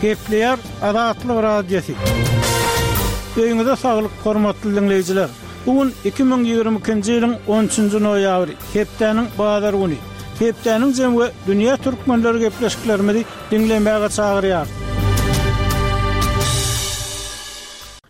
Gepleýär Azatlyk Radiosy. Öýüňize saglyk, hormatly diňleýjiler! Bu gün 2022-nji ýylyň on üçünji noýabry, hepdäniň bazar güni. Hepdäniň jemi we dünýä türkmenleri gepleşiklerimizi diňlemäge çagyrýarys.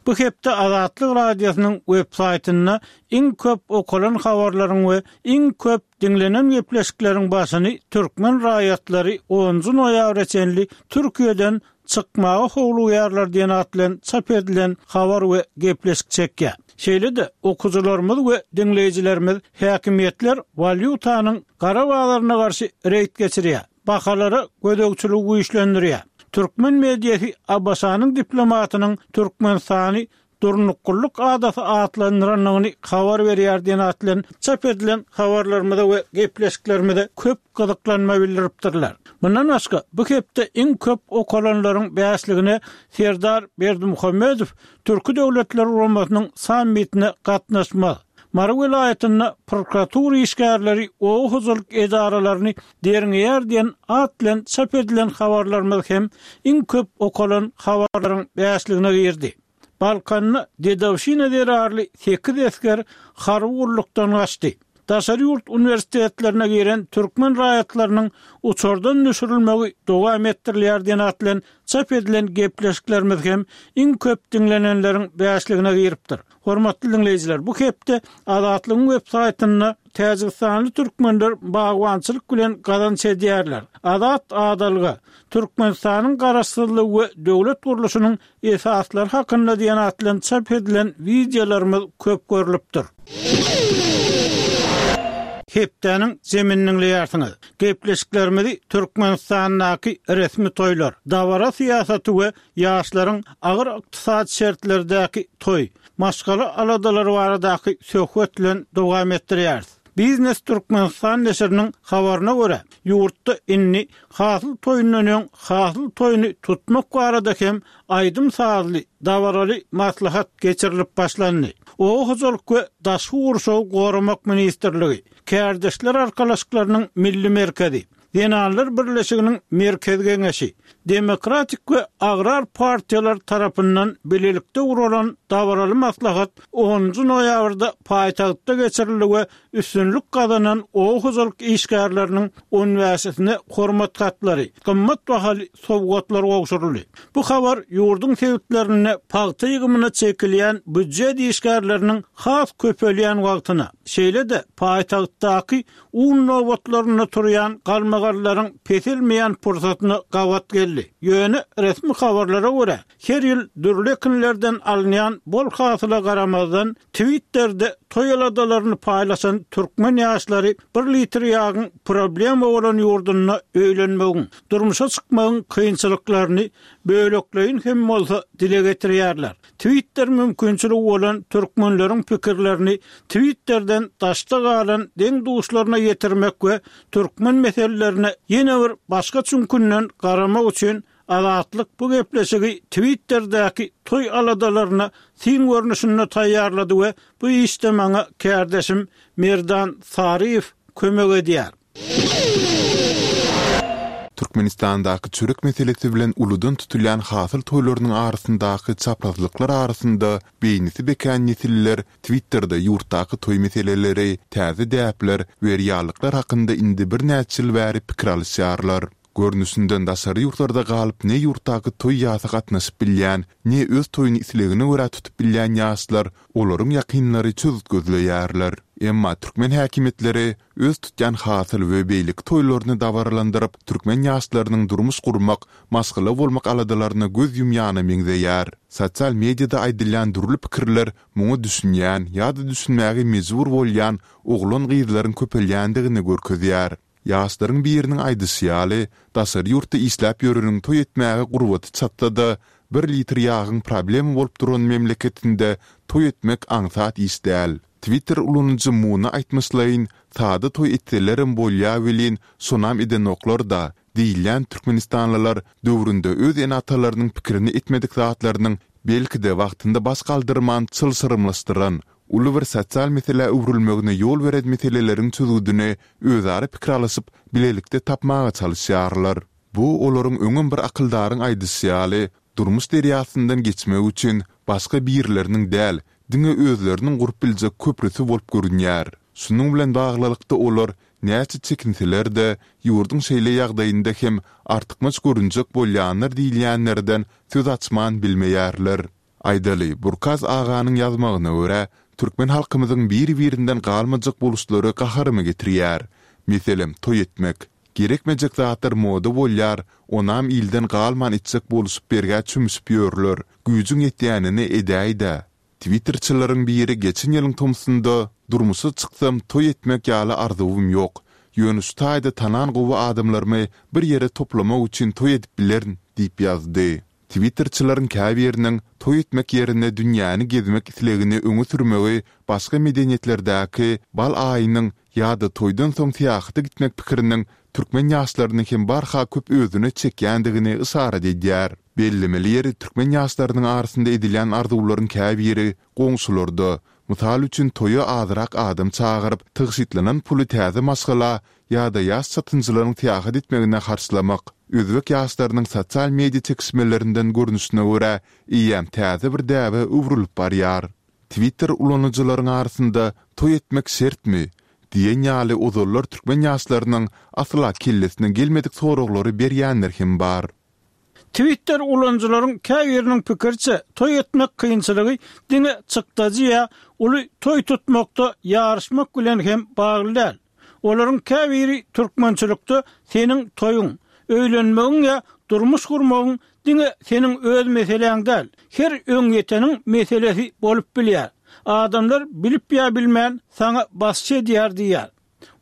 Bu hepde Azatlyk Radiosynyň web saýtynda iň köp okalan habarlaryň we iň köp diňlenen gepleşikleriň başyny türkmen raýatlary onunjy noýabra çenli Türkiýeden çykmaga howlugýarlar diýen at bilen çap edilen habar we gepleşik çekýär. Şeýle-de, okyjylarymyz we diňleýjilerimiz häkimiýetler walýutanyň gara bazaryna garşy reýd geçirýär, bahalara gözegçiligi güýçlendirýär. Türkmen mediasy ABŞ-nyň diplomatynyň Türkmenistany Durnuklylyk adasy atlandyrandygyny habar berýär diýen at bilen çap edilen habarlarymyza we gepleşiklerimize köp gyzyklanma bildiripdirler. Mundan başga, bu hepde iň köp okalanlaryň bäşligine Serdar Berdimuhamedow Türki Döwletler Guramasynyň sammitine gatnaşmaz, Mary welaýatynda prokuratura işgärleri oba hojalyk edaralaryny derňeýär diýen at bilen çap edilen habarlarymyz hem iň köp okalan habarlaryň bäşligine girdi. Balkanda dedowşina zerarly sekiz esger harby gullukdan gaçdy. Daşary ýurt uniwersitetlerine giren türkmen raýatlarynyň uçardan düşürilmegi dowam etdirilýär diýen at bilen çap edilen gepleşiklerimiz hem iň köp diňlenenleriň bäşligine giripdir. Hormatly diňleýjiler, bu hepde Azatlygyň web saýtynda Täjigistanly türkmenler bagbançylyk bilen gazanç edýärler, Azat adalga, Türkmenistanyň Garaşsyzlygy we döwlet gurluşynyň esaslary hakynda diýen at bilen çap edilen wideolarymyz köp görlüpdir. Hepdäniň jemini diňleýärsiňiz. Gepleşiklerimizi Türkmenistandaky resmi toýlar, dabara syýasaty we ýaşlaryň agyr ykdysady şertlerdäki toý, maşgala aladalary baradaky söhbet bilen dowam etdirýäris. Biznes Türkmenistan neşiriniň habaryna görä, ýurtda indi hasyl toýundan öň hasyl toýuny tutmak barada hem aýdym-sazly, dabaraly maslahat geçirilip başlandy. Oba hojalyk we daşky gurşawy goramak ministrligi, Kärdeşler arkalaşyklarynyň milli merkezi, Zenanlar birleşiginiň Merkezi Geňeşi, Demokratik we Agrar partiýalar tarapyndan bilelikde guralan dabaraly maslahat onunjy noýabrda paýtagtda geçirildi we üstünlik gazanan oba hojalyk işgärleriniň on bäşisine hormat hatlary, gymmat bahaly sowgatlar gowşuryldy. Bu habar ýurduň sebitlerinde pagta ýygymyna çekilýän býujet işgärleriniň has köpelýän wagtyna, şeýle-de paýtagtdaky Un nobatlarynda turýan galmagallaryň peselmeýän pursatyna gabat geldi. Ýöne resmi habarlara görä, her ýyl dürli ekinlerden alynýan bol hasyla garamazdan, Twitterde toý aladalaryny paýlaşan türkmen ýaşlary bir litr ýagyň problema bolan ýurdunda öýlenmegiň, durmuşa çykmagyň kynçylyklaryny bölekleýin hem bolsa dile getirýärler. Twitter mümkinçiligi bolan türkmenleriň pikirlerini Twitterden daşda galan deň-duşlaryna ýetirmek we türkmen meselelerine ýene bir başga çüňkünden garamak üçin Azatlyk bu gepleşigi Twitterdäki toý aladalaryna syn görnüşinde taýýarlady we bu işde maňa kärdeşim Merdan Saryýew kömek edýär. Türkmenistandaky çörek meselesi bilen uludan tutulýan hasyl toýlarynyň arasyndaky çaprazlyklar arasynda beýnisi bekän nesiller Twitterde ýurtdaky toý meseleleri, täze däpler we reallyklar hakynda indi birnäçe ýyl bäri pikir alyşýarlar. Görnüşinden daşary ýurtlarda galyp ne ýurtdaky toý-ýasa gatnaşyp bilýän, ne öz toýuny islegine görä tutup bilýän ýaşlar, olaryň ýakynlary çözgüt gözleýärler. Emma türkmen häkimiýetleri öz tutýan hasyl we beýleki toýlaryny dabaralandyryp, türkmen ýaşlarynyň durmuş gurmak, maşgala bolmak aladalaryna göz ýumýana meňzeýär. Sosial mediada aýdylýan dürli pikirler muňa düşünýän ýa-da düşünmäge mejbur bolýan oglan-gyzlaryň köpelýändigini görkezýär. Ýaşlaryň biriniň aýdyşy ýaly, daşary ýurtda işläp ýöreniň toý etmäge gurbaty çatsa-da, bir litr ýagyň problema bolup duran memleketinde toý etmek aňsat iş däl. Twitter ulanyjy Muna aýtmyşlaýyn, sada toý etselerem bolýa welin, şonam edenoklar-da, diýilýän türkmenistanlylar döwründe öz ene-atalarynyň pikirini etmedik zatlarynyň belki-de wagtynda baş galdyrman çylşyrymlaşdyran, uly bir sosial meselä öwrülmegine ýol beren meseleleriň çözgüdini özara pikir alyşyp, bilelikde tapmaga çalyşýarlar. Bu olaryň öňem bir akyldaryň aýdyşy ýaly, durmuş derýasyndan geçmek üçin başga birleriniň däl, diňe özleriniň gurup biljek köprüsi bolup görünýär. Şunuň bilen baglylykda olar näçe çekinseler-de, ýurduň şeýle ýagdaýynda hem artykmaç görünjek bolýanlar diýilýänlerden söz açman bilmeýärler. Aýdaly, Burkaz aganyň ýazmagyna görä, türkmen halkymyzyň bir-birinden galmajak boluşlary gaharymy getirýär. Meselem, toý etmek. Gerekmejek zatlar moda bolýar, onam ilden galman etjek boluşyp bergä çümüşip ýörler. Güýjüň ýetýänini edäý-dä. Twitterçileriň biri geçen ýylyň tomsunda, Durmuşa çyksam, toý etmek ýaly arzuwym ýok. Ýöne şu taýda tanan gowy adamlarymy bir ýere toplamak üçin toý edip bilerin diýip ýazdy. Twitterçileriň käbiriniň toý etmek ýerine dünýäni gezmek islegini öňe sürmegi başga medeniýetlerdäki bal aýynyň ýa-da toýdan soň syýahata gitmek pikiriniň türkmen ýaşlaryny hem barha köp özüne çekýändigini yşarat edýär. Bellemeli ýeri türkmen ýaşlarynyň arasynda edilýän arzuwlaryň käbiri goňşularda, mysal üçin toýa azrak adam çagyryp, tygşytlanan puly täze maşgala ýa-da ýaş çatynjylaryň syýahat etmegine harçlamak, özbek ýaşlarynyň sosial media çekişmelerinden görnüşine görä, eýýäm täze bir däbe öwrülip barýar. Twitter ulanyjylaryň arasynda Toý etmek şertmi? diýen ýaly ozallar türkmen ýaşlarynyň asla kellesine gelmedik soraglary berýänler hem bar. Twitter ulanyjylaryň käbiriniň pikiriçe, toý etmek kynçylygy diňe çykdajy ýa uly toý tutmakda ýaryşmak bilen hem bagly däl. Olaryň käbiri türkmençilikde seniň toýuň, öýlenmegiň ýa durmuş gurmagyň diňe seniň öz meseläň däl, her öňýeteniň meselesi bolup bilýär. Adamlar bilip ýa bilmän saňa basyş edýär diýýär.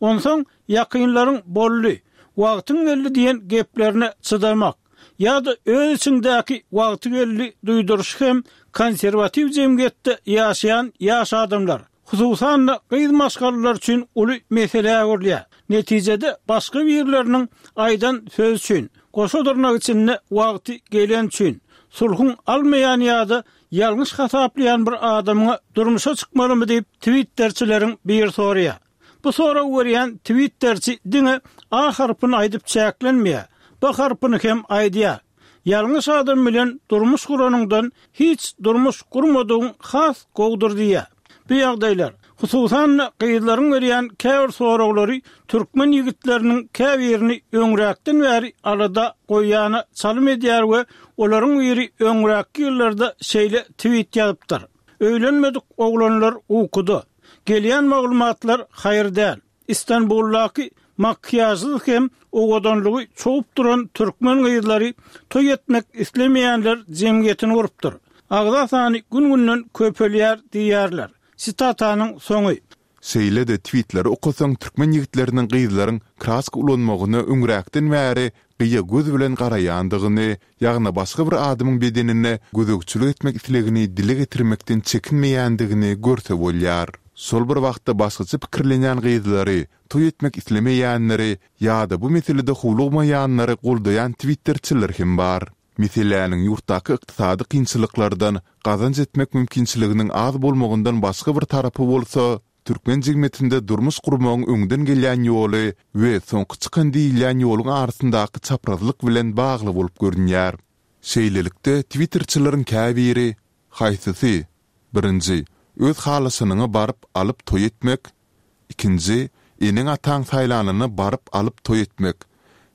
Onsoň ýakynlaryň boldy, wagtyň geldi diýen geplerine çydamak ýa-da öz içiňdäki wagty geldi duýduryşy hem konserwatiw jemgyýetde ýaşaýan ýaş adamlar, hususan-da gyz maşgalalar üçin uly meselä öwrülýär. Netijede başga birleriniň aýdan sözi üçin, goşa dyrnak içinde wagty geleni üçin, sulhuň almaýan ýa-da Ýalňyş hasaplaýan bir adamyňa durmuşa çykmalymy diýip twitterçileriň biri soraýar. Bu soragy berýän twitterçi diňe A harpyny aýdyp çäklenmeýär, B harpyny hem aýdýar. Ýalňyş adam bilen durmuş guranyňdan hiç durmuş gurmadygyň has gowudyr diýýär. Bu ýagdaýlar, hususan-da gyzlaryň berýän käbir soraglary türkmen ýigitleriniň käbirini öňräkden bäri alada goýýana çalym edýär we olaryň biri öňräkki ýyllarda şeýle twit ýazypdyr, Öýlenmedik oglanlar ukuda. Gelýän maglumatlar haýyr däl. Istanbuldaky makiýažsyz hem owadanlygy çogup duran türkmen gyzlary toý etmek islemeýänler jemgyýetini gurupdyr. Agza sany gün-günden köpelýär diýýärler. Sitatanyň soňy. Şeýle-de twitleri okasaň türkmen ýigitleriniň gyzlaryň kraska ulanmagyna öňräkden bäri gyýa göz bilen garaýandygyny, ýagny başga bir adamyň bedenine gözegçilik etmek islegini dile getirmekden çekinmeýändigini görse bolýar. Şol bir wagtda başgaça pikirlenýän gyzlary, toý etmek islemeýänleri ýa-da bu meselede howlugmaýanlary goldaýan twitterçiler hem bar. Meseläniň ýurtdaky ykdysady kynçylyklardan, gazanç etmek mümkinçiliginiň az bolmagyndan başga bir tarapy bolsa, Türkmen jemgyýetinde durmuş gurmagyň öňden gelýän ýoly we soňky çykan diýilýän ýoluň arasyndaky çaprazlyk bilen bagly bolup görünýär. Şeýlelikde, twitterçileriň käbiri, Haýsysy? Birinji, öz halaşanyňa baryp alyp toý etmek, ikinji, eneň-ataň saýlanyna baryp alyp toý etmek,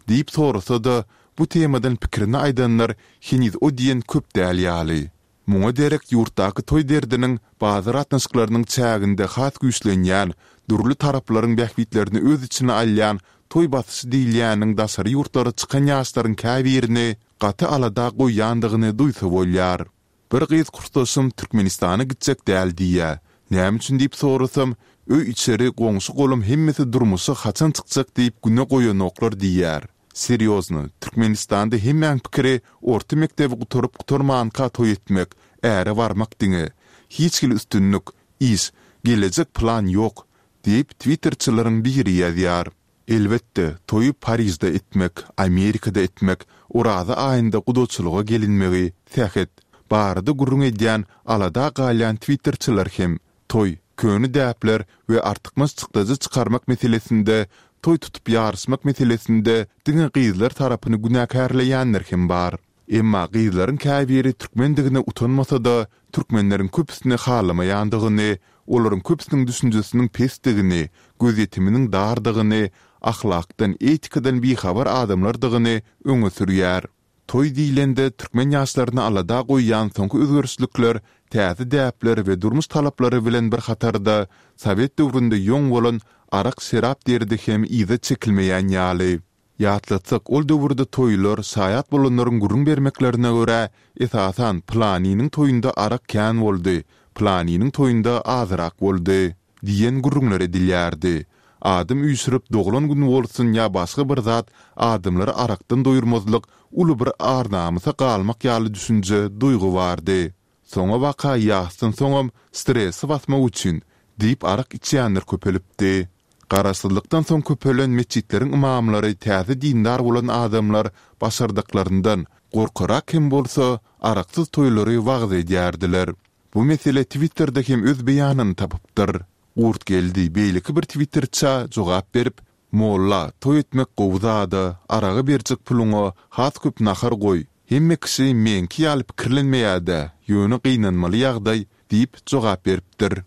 diýip sorasa-da, bu temadan pikirini aýdanlar heniz o diýen köp däl ýaly. Muňa derek ýurtdaky toý derdiniň bazar gatnaşyklarynyň çäginde has güýçlenýän, dürli taraplaryň bähbitlerini öz içine alýan toý basyşy diýilýäniň daşary ýurtlara çykan ýaşlaryň käbirini gaty alada goýýandygyny duýsa bolýar. Bir gyz kursdaşym Türkmenistana gitjek däl diýýä. Näme üçin diýip sorasam, öý-içeri, goňşy-golam hemmesi durmuşa haçan çykjak diýip güne goýanoklar diýýär. Serýozno, Türkmenistanda hemmäň pikiri orta mekdebi gutaryp gutarmanka toý etmek, äre barmak diňe. Hiç hili üstünlik, iş, gelejek plan ýok, diýip twitterçileriň biri ýazýar. Elbetde, toýy Parižde etmek, Amerikada etmek, Oraza aýynda gudaçylyga gelinmegi, sähet, barada gürrüň edýän alada galýan twitterçiler hem, toý, köne däpler we artykmaç çykdajy çykarmak meselesinde. toý tutup ýaryşmak meselesinde diňe gyzlar tarapyny günäkärleýänler hem bar. Emma gyzlaryň käbiri türkmendigine utanmasa-da, türkmenleriň köpüsini halamaýandygyny, olaryň köpüsiniň düşünjesiniň pesdigini, gözýetiminiň dardygyny, ahlakdan, etikadan bihabar adamlardygyny öňe sürýär. Toý diýlende, türkmen ýaşlaryny alada goýýan soňky özgerişlikler täze däpler we durmuş talaplary bilen bir hatarda, sowet döwründe ýoň bolan arak-şerap derdi hem yza çekilmeýän ýaly. Ýatlatsak, ol döwürde toýlar, şaýat bolanlaryň gürrüň bermeklerine görä, esasan, pylanynyň toýunda arak kän boldy, pylanynyň toýunda azyrak boldy. Diýen gürrüňler edilýärdi. Adam üýşürip, doglan gün bolsun ýa başga bir zat, adamlary arakdan doýurmazlyk uly bir ar-namysa galmak ýaly düşünje, duýgy bardy. Soňabaka ýasdan soňam stresi basmak üçin diýip arak içýänler köpelipdi. Garaşsyzlykdan soň köpelen metjitleriň ymamlary täze dindar bolan adamlar başardyklaryndan, gorkarak hem bolsa, araksyz toýlary wagyz edýärdiler. Bu mesele Twitterde hem öz beýanyny tapypdyr. Gurtgeldi beýleki bir twitterçä jogap berip, Molla, toý etmek gowy zada, araga berjek puluňa has köp nahar goý. Hemme kişi meňki ýaly pikirlenmeýädä, ýöne gynanmaly ýagdaý diýip jogap beripdir.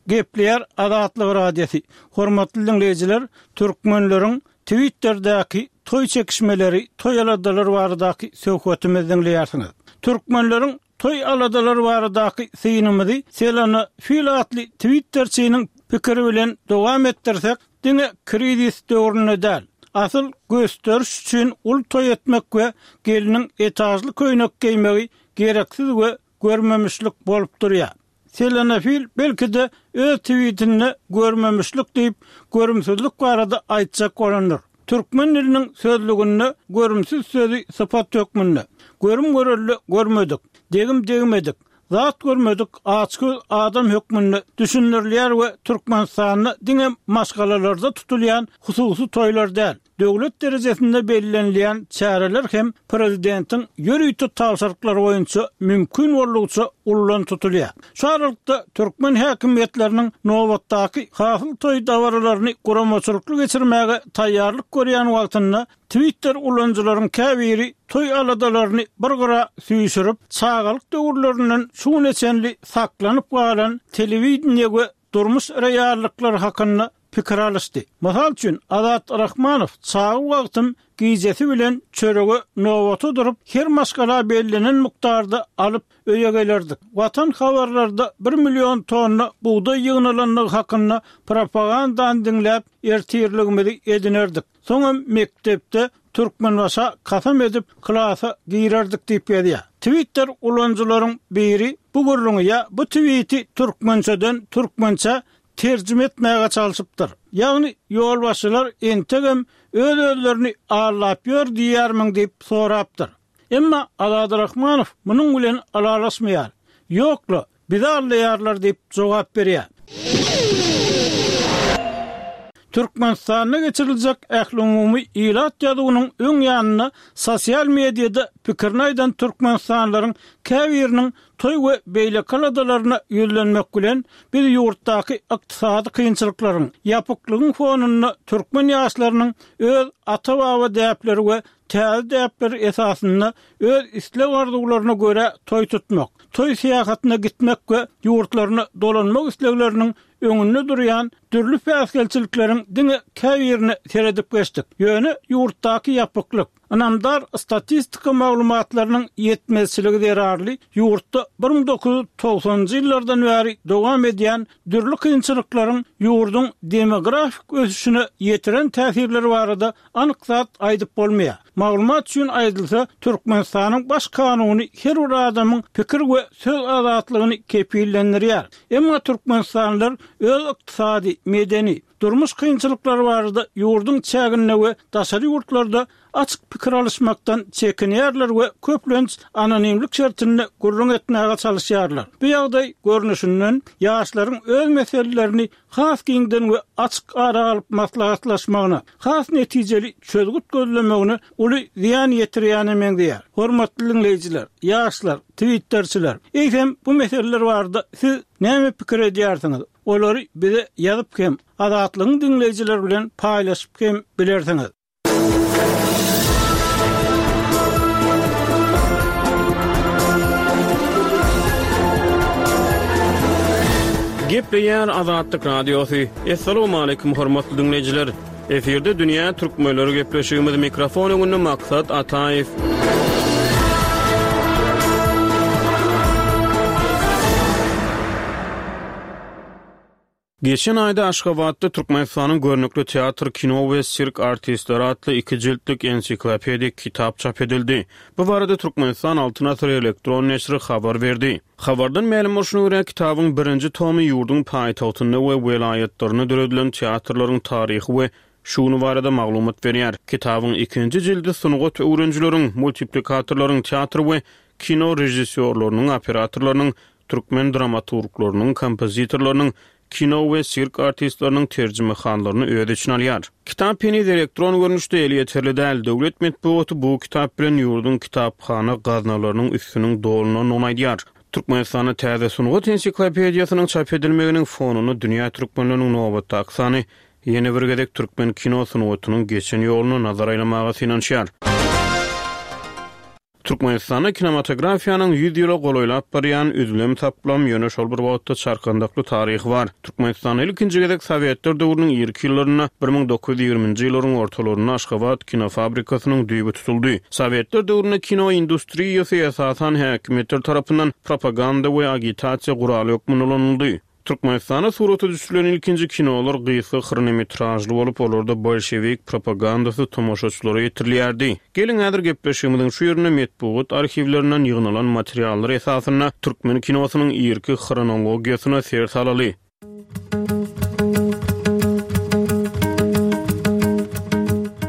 Gepleýär Azatlyk Radiosy. Hormatly diňleýjiler, türkmenleriň Twitterdäki toý çekişmeleri, toý aladalary baradaky söhbetimizi diňleýärsiňiz. Türkmenleriň Toý aladalary baradaky synymyzy Selena Fil atly twitterçiniň pikiri bilen dowam etdirsek, diňe krizis döwründe däl, asyl gösderiş üçin uly toý etmek we gelniň etažly köýnek geýmegi gereksiz we görmemişlik bolup durýar. Selena Fil belki-de öz twitinde görmemişlik diýip, görümsizlik barada aýtjak bolandyr. Türkmen diliniň sözlüginde görümsiz sözi sypat hökmünde, görüm-görelde görmedik, degim-degmedik, zat görmedik açgöz adam hökmünde düşündirilýär we Türkmenistanda diňe maşgalalarda tutulýan hususy toýlar däl, Döwlet derejesinde bellenilýän çäreler hem prezidentiň ýörite tabşyryklary boýunça mümkin boldugyça ullan tutulýar. Şu aralykda, türkmen häkimiýetleriniň nobatdaky Hasyl toý dabaralaryny guramaçylykly geçirmäge taýýarlyk görýän wagtynda, Twitter ulanyjylaryň käbiri toý aladalaryny bir gyra süýşürip, çagalyk döwürlerinden şu güne çenli saklanyp galan telewideniýe we durmuş reallyklary hakynda pikir alyşdy. Mysal üçin, Azat Rahmanow çaga wagtym gijesi bilen çörege nobata durup, her maşgala bellenen mukdarda alyp öýe gelerdik. Watan habarlarda bir million tonna bugdaý ýygnalandygy hakynda propagandany diňläp, ertirligimizi edinerdik. Soňam mekdepde Türkmenbaşa kasam edip klasa girerdik diýip ýazýar. Twitter ulanyjylaryň biri bu gürrüňi ýa bu twiti türkmençeden türkmençä terjime etmäge çalşypdyr. Ýagny ýolbaşçylar entegem öz-özlerini aldap ýör diýýärmiň diýip sorapdyr. Emma Azady Rahmanow munuň bilen ylalaşmaýar. Ýok-la, bizi aldaýarlar diýip jogap berýär. Türkmenistanda geçiriljek ählumumy ilat ýazuwynyň öň ýanynda sosial mediada pikirini aýdan türkmenistanlylaryň käbiriniň toý we beýleki aladalaryna ýüzlenmek bilen, biz ýurtdaky ykdysady kynçylyklaryň, ýapyklygyň fonunda türkmen ýaşlarynyň öz ata-baba däpleri we täze däpler esasynda öz isleg-arzuwlaryna görä toý tutmak, toý syýahatyna gitmek we ýurtlaryna dolanmak islegleriniň öňünde durýan dürli päsgelçilikleriň diňe käbirine seredip geçdik. Ýöne ýurtdaky ýapyklyk, ynamdar statistika maglumatlarynyň ýetmezçiligi zerarly ýurtda 1990-njy ýyllardan bäri dowam edýän dürli kynçylyklaryň ýurduň demografik ösüşine ýetiren täsirleri barada Anyk zat aýdyp bolmaýar. Maglumat üçin aýdylsa, Türkmenistanyň Baş kanuny her bir adamyň pikir we söz azatlygyny kepillendirýär. Emma türkmenistanlylar öz ykdysady, medeni, durmuş kynçylyklary barada ýurduň çäginde we daşary ýurtlarda açyk pikir alyşmakdan çekinýärler we köplenç anonimlik şertinde gürrüň etmäge çalyşýarlar. Bu ýagdaý, görnüşinden, ýaşlaryň öz meselelerini has giňden we açyk ara alyp maslahatlaşmagyna, has netijeli çözgüt gözlemegine uly zyýan ýetirýäne meňzeýär. Hormatly diňleýjiler, ýaşlar, twitterçiler, eýsem bu meseleler barada siz näme pikir edýärsiňiz? Olary bize ýazyp hem, Azatlygyň diňleýjileri bilen paýlaşyp hem bilersiňiz. Gepleýär Azatlyk Radiosy. Assalamualaikum hormatly diňleýjiler. Efirde dünýä türkmenleri gepleşigimiz mikrofon öňünde Maksat Ataýew. Geçen aýda Aşgabatda Türkmenistanyň görnükli teatr, kino we sirk artistleri atly iki jiltlik ensiklopedik kitap çap edildi. Bu barada Türkmenistan Altyn asyr elektron neşiri habar berdi. Habardan mälim bolşuna görä, kitabyň birinji tomy ýurduň paýtagtynda we welaýatlarynda döredilen teatrlaryň taryhy we şu güni barada maglumat berýär. Kitabyň ikinji jildi sungat öwrenijileriň, multiplikatorlaryň, teatr we kino režissýorlarynyň, operatorlarynyň, türkmen dramaturglarynyň, kompozitorlarynyň, kino we sirk artistleriniň terjimehallaryny öz içine alýar. Kitap heniz elektron görnüşde elýeterli däl. Döwlet metbugaty bu kitap bilen ýurduň kitaphana gaznalarynyň üstüniň dolunandygyny aýdýar. Türkmenistanda täze sungat ensiklopediýasynyň çap edilmeginiň fonunda dünýä türkmenleriniň nobatdaky sany ýene bir gezek türkmen kino sungatynyň geçen ýoluna nazar aýlamaga synanyşýar. Türkmenistanda kinematografiýanyň ýüz ýyla golaýlap barýan üzlem-saplam, ýöne şol bir wagtda çarkandakly taryhy bar. Türkmenistanda ilkinji gezek sowetler döwrüniň irki ýyllarynda, 1920-nji ýyllaryň ortalarynda Aşgabat kinofabrikasynyň düýbi tutuldy. Sowetler döwründe kino industriýasy esasan häkimiýetler tarapyndan propaganda we agitasiýa guraly hökmünde ulanyldy. Türkmenistanda surata düşürilen ilkinji kinolar gysga hronometražly bolup, olarda bolşewik propagandasy tomaşaçylara ýetirilýärdi. Geliň, häzir gepleşigimiziň şu ýerinde metbugat arhiwlerinden ýygnalan materiallar esasynda türkmen kinosynyň irki hronologiýasyna ser salaly.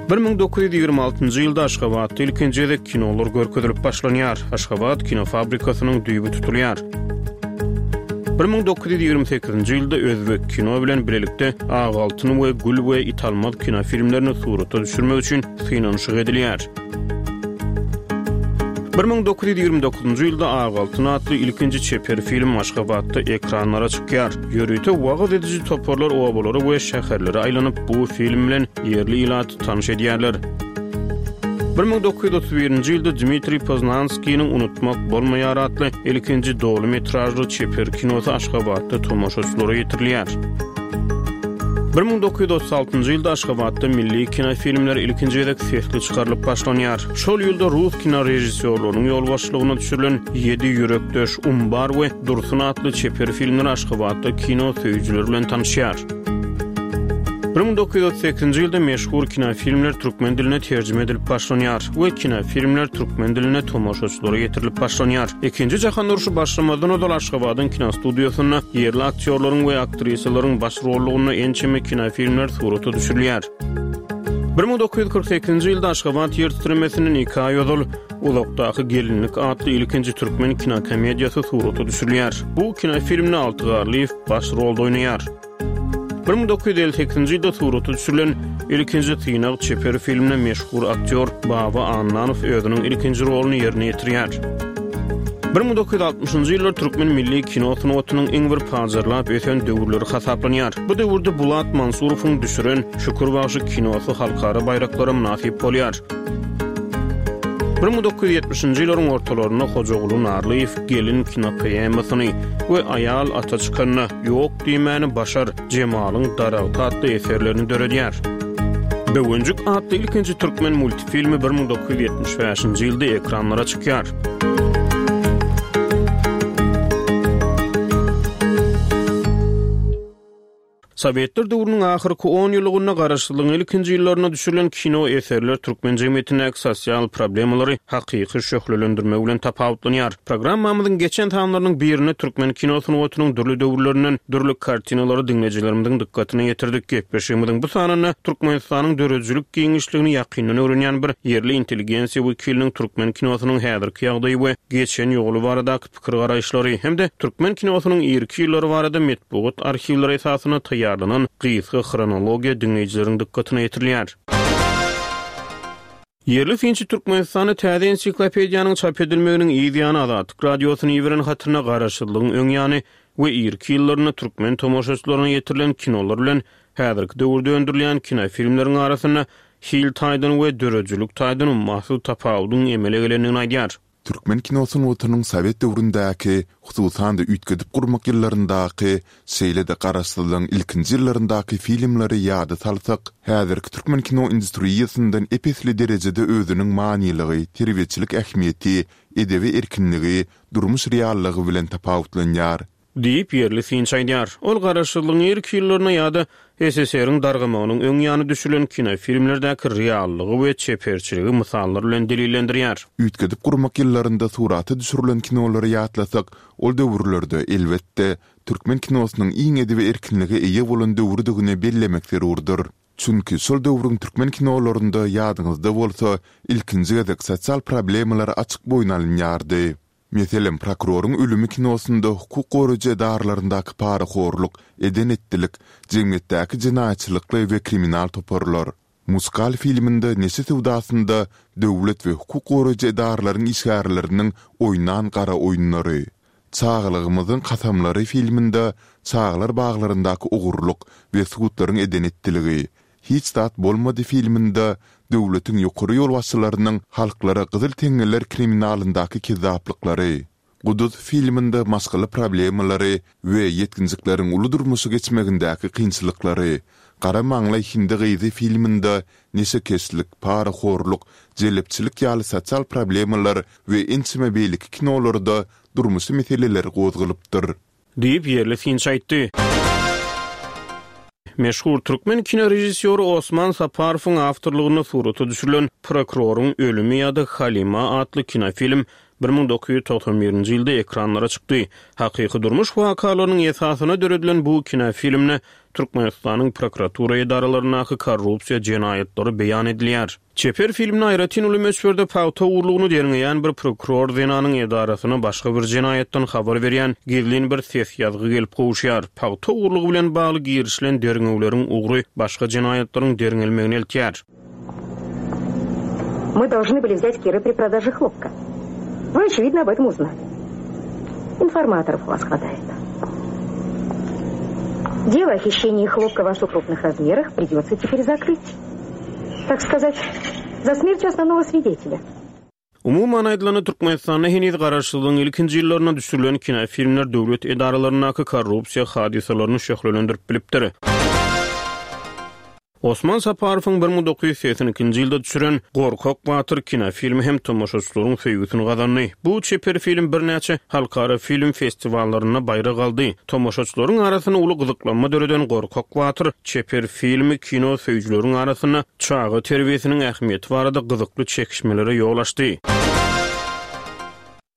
1926-njy ýylda Aşgabatda ilkinji gezek kinolar görkezilip başlanýar. Aşgabat kinofabrikasynyň düýbi tutulýar. 1928-nji ýylda özbek kino bilen bilelikde Ak altyn we Gül we Italmaz kinofilmlerini surata düşürmek üçin synanyşyk edilýär. 1929-njy ýylda Ak altyn atly ilkinji çeper film Aşgabatda ekranlara çykýar. Ýörite wagyz ediji toparlar obalara we şäherlere aýlanyp, bu film bilen ýerli ilaty tanyş edýärler. 1931-nji ýylda Dmitriý Poznanskiniň Unutmak bolmaýar atly ilkinji doly metražly çeper kinosy Aşgabatda tomaşaçylara ýetirilýär. 1936-njy ýylda Aşgabatda milli kinofilmler ilkinji gezek sesli çykarylyp başlanýar. Şol ýylda rus kinorežissýorlarynyň ýolbaşçylygynda düşürilen Ýedi ýürekdeş, Umbar we Dursun atly çeper filmler Aşgabatda kino söýüjiler bilen tanyşýar. 1938-nji ýylda meşhur kinofilmler türkmen diline terjime edilip başlanýar we kinofilmler türkmen dilinde tomaşaçylara ýetirilip başlanýar. Ikinji jahan urşy başlamazdan ozal Aşgabadyň kinostudiýasynda ýerli aktýorlaryň we aktrisalaryň baş rollugynda ençeme kinofilmler surata düşürilýär. 1948-nji ýylda Aşgabat ýer titremesinden iki aý ozal Uzakdaky gelinlik atly ilkinji türkmen kinokomediýasy surata düşürilýär. Bu kinofilmde Alty Garlyýew baş rolda oýnaýar. 1958-nji ýylda surata düşürilen Ilkinji synag çeper filminde meşhur aktýor Baba Annanow özüniň ilkinji roluny ýerine ýetirýär. 1960-njy ýyllar türkmen milli kino sungatynyň iň bir pajarlap ösen döwürleri hasaplanýar. Bu döwürde Bulat Mansurowyň düşüren Şükür bagşy kinosy halkara baýraklara mynasyp bolýar. 1970-nji ýyllaryň ortalarynda Hojaguly Narlyýew Gelin kinopoemasyny we Aýal ata çykanda, Ýok diýmäni başar, Jemalyň daragty atly eserlerini döredýär. Böwenjik atly ilkinji türkmen multfilmi 1975-nji ýylda ekranlara çykýar. Sowetler döwrüniň ahyrky on ýyllygynda garaşsyzlygyň ilkinji ýyllarynda düşürilen kino eserler türkmen jemgyýetindäki sosial problemalary hakyky şöhlelendirmegi bilen tapawutlanýar. Programmamyzyň geçen sanlarynyň birinde türkmen kino sungatynyň dürli döwürlerinden dürli kartinalary diňleýjilerimiziň dykgatyna ýetirdik. Gepleşigimiziň bu sanynda Türkmenistanyň döredijilik giňişligini ýakyndan öwrenýän bir ýerli intelligensiýa wekiliniň türkmen kinosynyň häzirki ýagdaýy we geçen ýoly baradaky pikir-garaýyşlary hem-de türkmen kinosynyň irki ýyllary barada metbugat arhiwleri esasynda taýýarlanan gysga hronologiýa diňleýjileriň dykgatyna ýetirilýär. Ýerli synçy Türkmenistanda täze ensiklopediýanyň çap edilmeginiň yz ýany Azatlyk Radiosyna iberen hatynda garaşsyzlygyň öň ýany. we irki ýyllarynda türkmen tomaşaçylaryna ýetirilen kinolar bilen häzirki döwürde öndürilýän kinofilmleriň arasynda hil taýdan we döredijilik taýdan ummasyz tapawudyň emele gelendigini aýdýar. Türkmen kino sungatynyň sowet döwründäki, hususan-da üýtgedip gurmak ýyllaryndaky, şeýle-de garaşsyzlygyň ilkinji ýyllaryndaky filmleri ýada salsak, häzirki türkmen kino industriýasyndan ep-esli derejede özüniň manylygy, terbiýeçilik ähmiýeti, edebi erkinligi, durmuş reallygy bilen tapawutlanýar. Diýip, ýerli synçy aýdýar. Ol garaşsyzlygyň irki ýyllarynda ýa-da SSR-iň dargamagynyň öň ýany düşürilen kinofilmlerdäki reallygy we çeperçiligi mysallar bilen delillendirýär. Üýtgedip gurmak ýyllarynda surata düşürilen kinolary ýatlasak, ol döwürlerde, elbetde, türkmen kinosynyň iň edebi erkinlige eýe bolan döwrüdigini bellemek zerurdyr. Çünki şol döwrüň türkmen kinolarynda, ýadyňyzda bolsa, ilkinji gezek sosial problemalar açyk boýun alynýardy. Meselem, Prokuroryň ölümi kinosynda hukuk goraýjy edaralaryndaky parahorluk, eden-etdilik, jemgyýetdäki jenaýatçylykly we kriminal toparlar. Muskal filminde neşe söwdasynda döwlet we hukuk goraýjy edaralaryň işgärleriniň oýnan gara oýunlary. Çagalygymyzyň kasamlary filminde çagalar baglaryndaky ogurlyk we sudlaryň eden-etdiligi, Hiç zat bolmady filminde döwletiň ýokary ýolbaşçylarynyň halklara gyzyl teňňeler kriminalyndaky kezzaplyklary, Guduz filminde maşgala problemalary we ýetginjekleriň uly durmuşa geçmegindäki kynçylyklary, Gara maňlaý hindi gyzy filminde neşekeşlik, parahorluk, jelepçilik ýaly sosial problemalar we ençeme beýleki kinolarda durmuşy meseleler gozgalypdyr. Diýip, ýerli synçy aýtdy. Meşhur türkmen kinorežissýory Osman Saparowyň awtorlygynda surata düşürilen Prokuroryň ölümi ýa-da Halima atly kinofilm 1991-nji ýylda ekranlara çykdy. Hakyky durmuş wakalarynyň esasynda döredilen bu kinofilmde Türkmenistanyň prokuratura edaralaryndaky korrupsiýa jenaýatlary beýan edilýär. Çeper filmde aýratyn uly möçberde pagta ogurlygyny derňeýän bir prokuror zenanyň edarasyna başga bir jenaýatdan habar berýän gizlin bir ses ýazgy gelip gowuşýar. Pagta ogurlygy bilen bagly girişilen derňewleriň ugry başga jenaýatlaryň derňelmegine eltýär. Мы должны были взять Кира при продаже хлопка. Вы, очевидно, об этом узнали. Информаторов у вас хватает. Дело о хищении хлопка в особо крупных размерах придется теперь закрыть. Так сказать, за смертью основного свидетеля. Umuman aýdylanda, Türkmenistanda heniz garaşsyzlygyň ilkinji ýyllarynda düşürilen kinofilmler döwlet edaralaryndaky korrupsiýa hadysalaryny şöhlelendirip bilipdir. Osman Saparowyň 1982-nji ýylda düşüren Gorkak batyr kinofilmi hem tomaşaçylaryň söýgüsini gazandy. Bu çeper film birnäçe halkara film festiwallarynda baýrak aldy. Tomaşaçylaryň arasynda uly gyzyklanma döreden Gorkak batyr çeper filmi kino söýüjileriň arasynda çaga terbiýesiniň ähmiýeti barada gyzykly çekişmelere ýol açdy.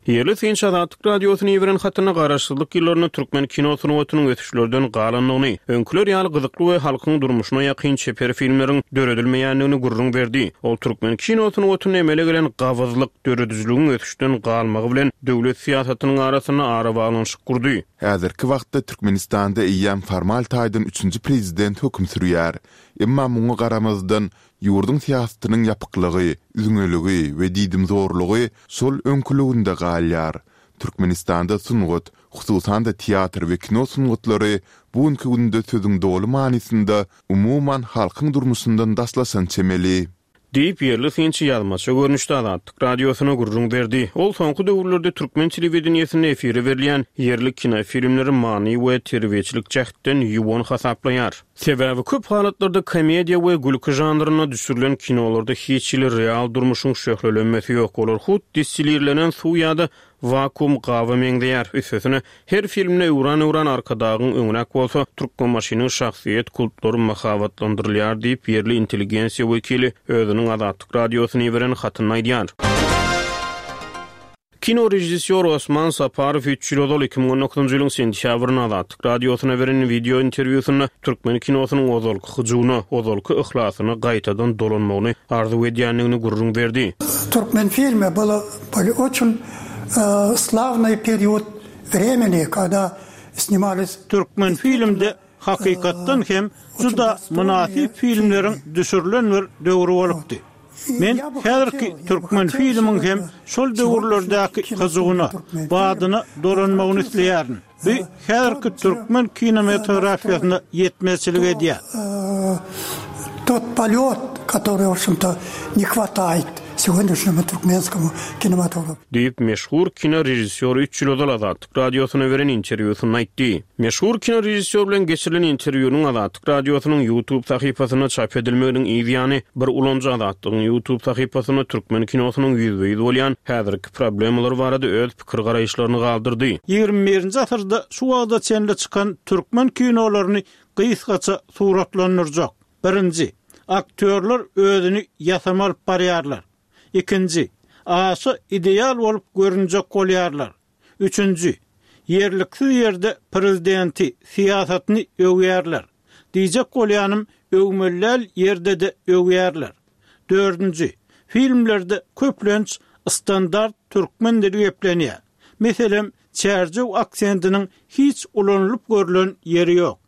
Ýerli synçy Azatlyk Radiosyna iberen hatynda garaşsyzlyk ýyllarynda türkmen kino sungatynyň ösüşlerden galandygyny, öňküler ýaly gyzykly we halkyň durmuşyna ýakyn çeper filmleriň döredilmeýändigini gürrüň berdi. Ol türkmen kino sungatynda emele gelen gabyzlyk, döredijiligiň ösüşden galmagy bilen döwlet syýasatynyň arasynda arabaglanyşyk gurdy. Häzirki wagtda Türkmenistanda eýýäm formal taýdan üçünji prezident höküm sürýär. Emma muňa garamazdan, ýurduň syýasatynyň ýapyklygy, üzňeligi we diýdimzorlugy şol öňküliginde galýar. Türkmenistanda sungat, hususan-da teatr we kino sungatlary bu günki günde sözüň doly manysynda umuman halkyň durmuşyndan daşlaşan çemeli. Diýip, ýerli synçy ýazmaça görnüşde Azatlyk Radiosyna gürrüň berdi. Ol soňky döwürlerde türkmen telewideniýesinde efire berilýän ýerli kinofilmleri many we terbiýeçilik jähtden ýuwan hasaplaýar. Sebäbi köp halatlarda komediýa we gülki žanrynda düşürilen kinolarda hiç hili real durmuşyň şöhlelenmesi ýok, olar hut distilirlenen suw ýa-da Wakuum gaba meňzeýär. Üstesine, her filmde öwran-öwran Arkadagyň öňräk bolsa, Türkmenbaşynyň şahsyýet kultlary mahabatlandyrylýar diýip, ýerli intelligensiýa wekili özüniň Azatlyk Radiosyna iberen hatynda aýdýar. Kino režissýory Osman Saparow üç ýyl ozal, 2019-njy ýylyň sentýabrynda Azatlyk Radiosyna beren wideo interwýusynda türkmen kinosynyň ozalky hyjuwyna, ozalky yhlasyna gaýtadan dolanmagyny arzuw edýändigini gürrüň berdi. Türkmenfilme bylo Были oçün slavnyý period vremeni, kada snimalis. Türkmenfilmde hakykatdan hem juda mynasyp filmleriň düşürilen bir döwri bolupdy. Men häzirki Türkmenfilmiň hem şol döwürlerdäki hyjuwyna, badyna dolanmagyny isleýärin. Bu häzirki türkmen kinematografiýasyna ýetmezçilik edýär. Тот полет, который, в общем-то, не хватает сегодняшнему туркменскому кинематографу. Diýip, meşhur kinorežissýor üç ýyl ozal Azatlyk Radiosyna beren interwýusynda aýtdy. Meşhur kinorežissýor bilen geçirilen interwýunyň Azatlyk Radiosynyň YouTube sahypasynda çap edilmeginiň yz ýany, bir ulanyjy Azatlygyň YouTube sahypasynda türkmen kinosynyň ýüzbe-ýüz bolýan häzirki problemalary barada öz pikir-garaýyşlaryny galdyrdy. Ýigrimi birinji asyrda şu wagta çenli çykan türkmen kinolaryny gysgaça suratlandyrjak. Birinji, aktýorlar özüni ýasama alyp barýarlar. Ikinji, aşa ideal bolup görünjek bolýarlar. Üçünji, ýerliksiz ýerde prezidenti, syýasatyny öwýärler. Diýjek bolýanym, öwmeli däl ýerde-de öwýärler. Dördünji, filmlerde köplenç standart türkmen dili geplenýär. Meselem, çärjew aksentiniň hiç ulanylyp görlen ýeri ýok.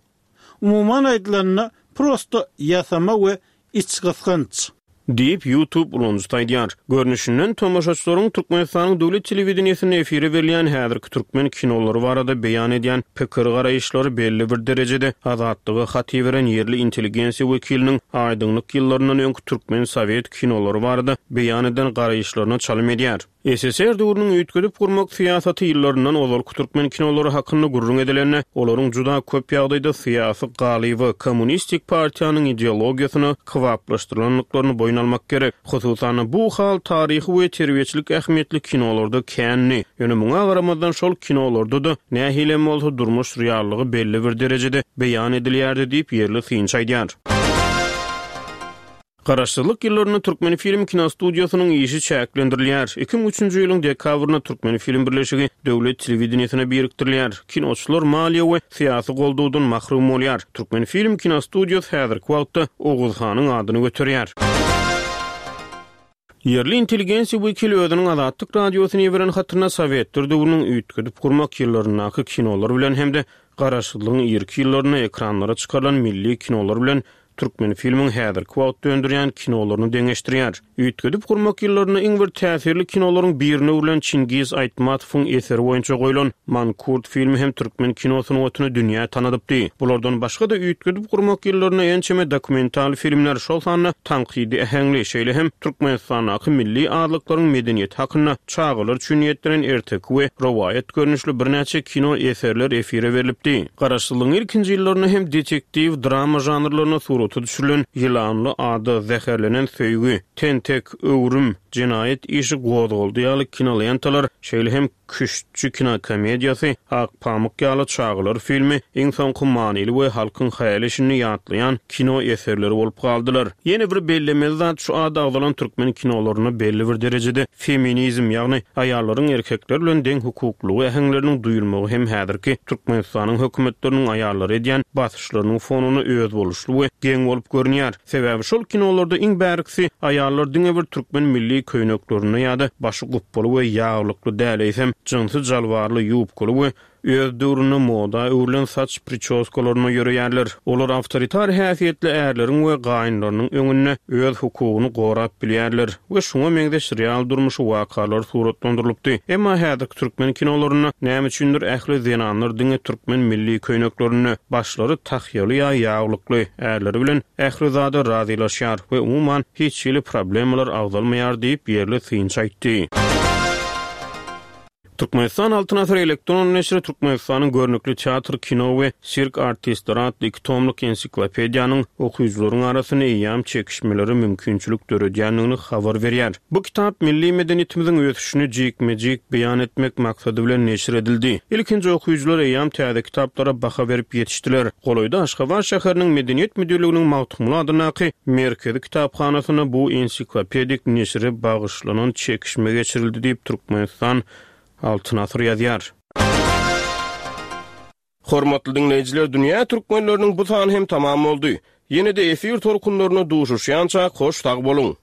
Umuman aýdylanda, prosto ýasama we içgysgynç. Diýip, YouTube ulanyjysy aýdýar. Görnüşinden, tomaşaçylaryň Türkmenistanyň döwlet telewideniýesinde efire berilýän häzirki türkmen kinolary barada beýan edýän pikir-garaýyşlary belli bir derejede Azatlyga hat iberen ýerli intelligensiýa wekiliniň aýdyňlyk ýyllaryndan öňki türkmen sowet kinolary barada beýan eden garaýyşlaryna çalym edýär. SSR döwrüniň üýtgedip gurmak syýasaty ýyllaryndan ozalky türkmen kinolary hakynda gürrüň edilende, olaryň juda köp ýagdaýda syýasy galyba, kommunistik partiýanyň ideologiýasyna kybaplaşdyrylandyklaryny boýun almak gerek. Hususan-da, bu hal taryhy we terbiýeçilik ähmiýetli kinolarda kändi. Ýöne muňa garamazdan şol kinolarda-da nähilem bolsa durmuş reallygy belli bir derejede beýan edilýärdi diýip, ýerli synçy aýdýar. Garaşsyzlyk ýyllarynda Türkmenfilm kinostudiýasynyň işi çäklendirilýär. 2003-nji ýylyň dekabrynda Türkmenfilm birleşigi döwlet telewideniýesine birikdirilýär. Kinoçylar maliýe we syýasy goldawdan mahrum bolýar. Türkmenfilm kinostudiýasy häzirki wagtda Oguz hanyň adyny göterýär. Ýerli intelligensiýa wekili özüniň Azatlyk Radiosyna iberen hatynda sowetler döwrüniň üýtgedip gurmak ýyllaryndaky kinolar bilen hem-de garaşsyzlygyň irki ýyllarynda ekranlara çykarylan milli kinolar bilen Türkmenfilmiň häzirki wagtda öndürýän kinolaryny deňeşdirýär. Üýtgedip gurmak ýyllarynda iň bir täsirli kinolaryň birine öwrülen Çingiz Aýtmatowyň eseri boýunça goýlan Mankurt filmi hem türkmen kino sungatyny dünýä tanadypdy. Bulardan başga-da üýtgedip gurmak ýyllarynda ençeme dokumental filmler, şol sanda tankydy äheňli, şeýle hem Türkmenistandaky milli azlyklaryň medeniýeti hakynda çagalar üçin niýetlenen erteki we rowaýat görnüşli birnäçe kino eserler efire berlipdi. Garaşsyzlygyň ilkinji ýyllarynda hem detektiw, drama žanrlarynda surata düşürilen Ýylanly ada, Zäherlenen söýgi, Tentek, Öwrüm, Jenaýat işi gozgaldy ýaly kinolentalar, şeýle hem Küştçi kinokomediýasy, Ak pamyk ýaly çagalar filmi iň soňky manyly we halkyň häli-şindi ýatlaýan kino eserleri bolup galdylar. Ýene bir bellemeli zat şu ady agzalan türkmen kinolarynda belli bir derejede feminizm, ýagny aýallaryň erkekler bilen deň hukuklylygy äheňleriniň duýulmagy hem häzirki Türkmenistanyň hökümetleriniň aýallara edýän basyşlarynyň fonunda özboluşly we geň bolup görünýär. Sebäbi şol kinolarda iň bärkisi aýallar diňe bir türkmen milli köýneklerinde ýa-da başy gupbaly we ýaglykly däl, eýsem, jynsy jalbarly, ýubkaly we öz döwründe moda öwrülen saç pričoskalarynda ýöreýärler. Olar awtoritar häsiýetli ärleriň we gaýynlarynyň öňünde öz hukugyny gorap bilýärler we şuňa meňzeş real durmuşy wakalar suratlandyrylypdy. Emma häzirki türkmen kinolarynda näme üçindir ähli zenanlar diňe türkmen milli köýneklerinde, başlary tahýaly ýa ýaglykly, ärleri bilen ähli zada razylaşýar we umuman hiç hili problemalar agzalmaýar diýip, ýerli synçy aýtdy. Türkmenistan Altyn asyr elektron neşiri Türkmenistanyň görnükli teatr, kino we sirk artistleri atly iki tomluk ensiklopediýanyň okyjylaryň arasynda eýýäm çekişmelere mümkinçilik döredýändigini habar berýär. Bu kitap milli medeniýetimiziň ösüşini jikme-jik beýan etmek maksady bilen neşir edildi. Ilkinji okyjylar eýýäm täze kitaplara baha berip ýetişdiler. Golaýda Aşgabat şäheriniň Medeniýet müdirliginiň Magtymguly adyndaky Merkezi kitaphanasynda bu ensiklopedik neşire bagyşlanan çekişme geçirildi diýip, Türkmenistan Altyn asyr ýazýar. Hormatly diňleýjiler Dünýä Türkmenleriniň bu sany hem tamam boldy. Ýene-de efir tolkunlarynda duşuşýançak hoş sag boluň!